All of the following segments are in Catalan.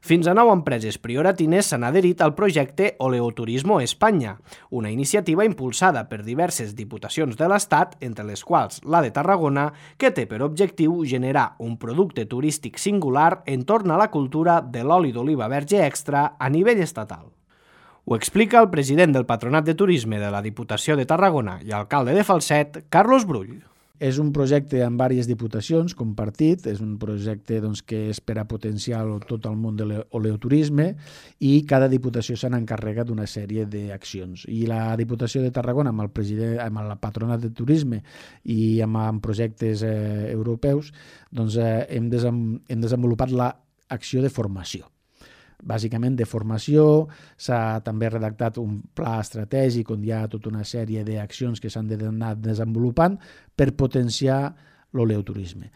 Fins a 9 empreses prioratines s'han adherit al projecte Oleoturismo España, una iniciativa impulsada per diverses diputacions de l'Estat, entre les quals la de Tarragona, que té per objectiu generar un producte turístic singular entorn a la cultura de l'oli d'oliva verge extra a nivell estatal. Ho explica el president del Patronat de Turisme de la Diputació de Tarragona i alcalde de Falset, Carlos Brull. És un projecte amb diverses diputacions, compartit, és un projecte que és per a potenciar tot el món de l'oleoturisme i cada diputació se n'encarrega d'una sèrie d'accions. I la Diputació de Tarragona, amb el Patronat de Turisme i amb projectes europeus, hem desenvolupat l'acció de formació. Bàsicament de formació, s'ha també redactat un pla estratègic on hi ha tota una sèrie d'accions que s'han d'anar desenvolupant per potenciar l'oleoturisme.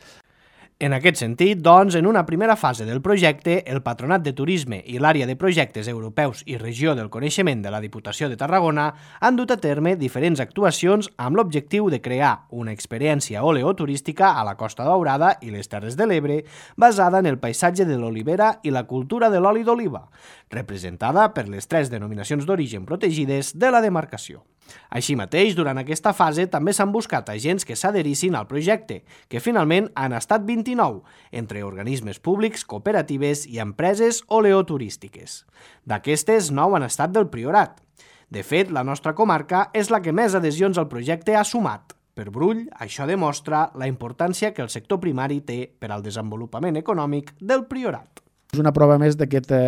En aquest sentit, doncs, en una primera fase del projecte, el Patronat de Turisme i l'Àrea de Projectes Europeus i Regió del Coneixement de la Diputació de Tarragona han dut a terme diferents actuacions amb l'objectiu de crear una experiència oleoturística a la Costa Daurada i les Terres de l'Ebre basada en el paisatge de l'olivera i la cultura de l'oli d'oliva, representada per les 3 denominacions d'origen protegides de la demarcació. Així mateix, durant aquesta fase també s'han buscat agents que s'adherissin al projecte, que finalment han estat 29, entre organismes públics, cooperatives i empreses oleoturístiques. D'aquestes, 9 han estat del Priorat. De fet, la nostra comarca és la que més adhesions al projecte ha sumat. Per Brull, això demostra la importància que el sector primari té per al desenvolupament econòmic del Priorat. És una prova més d'aquesta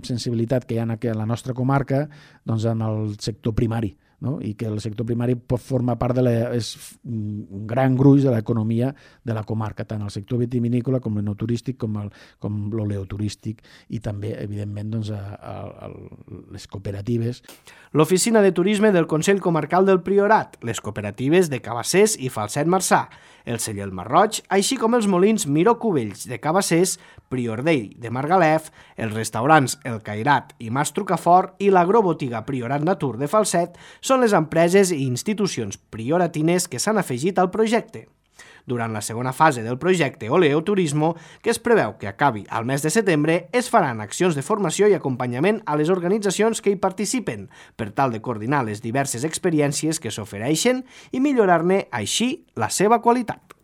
sensibilitat que hi ha a la nostra comarca en el sector primari, no? I que el sector primari forma part és un gran gruix de l'economia de la comarca, tant el sector vitivinícola com l'enoturístic, com l'oleoturístic i també, evidentment, les cooperatives. L'Oficina de Turisme del Consell Comarcal del Priorat, les cooperatives de Cabassers i Falset Marçà, el celler El Marroig, així com els molins Miró Cubells de Cabassers, Priordell de Margalef, els restaurants El Cairat i Mas Trucafort i l'agrobotiga Priorat Natur de Falset són les empreses i institucions prioratines que s'han afegit al projecte. Durant la segona fase del projecte Oleoturismo, que es preveu que acabi al mes de setembre, es faran accions de formació i acompanyament a les organitzacions que hi participen, per tal de coordinar les diverses experiències que s'ofereixen i millorar-ne així la seva qualitat.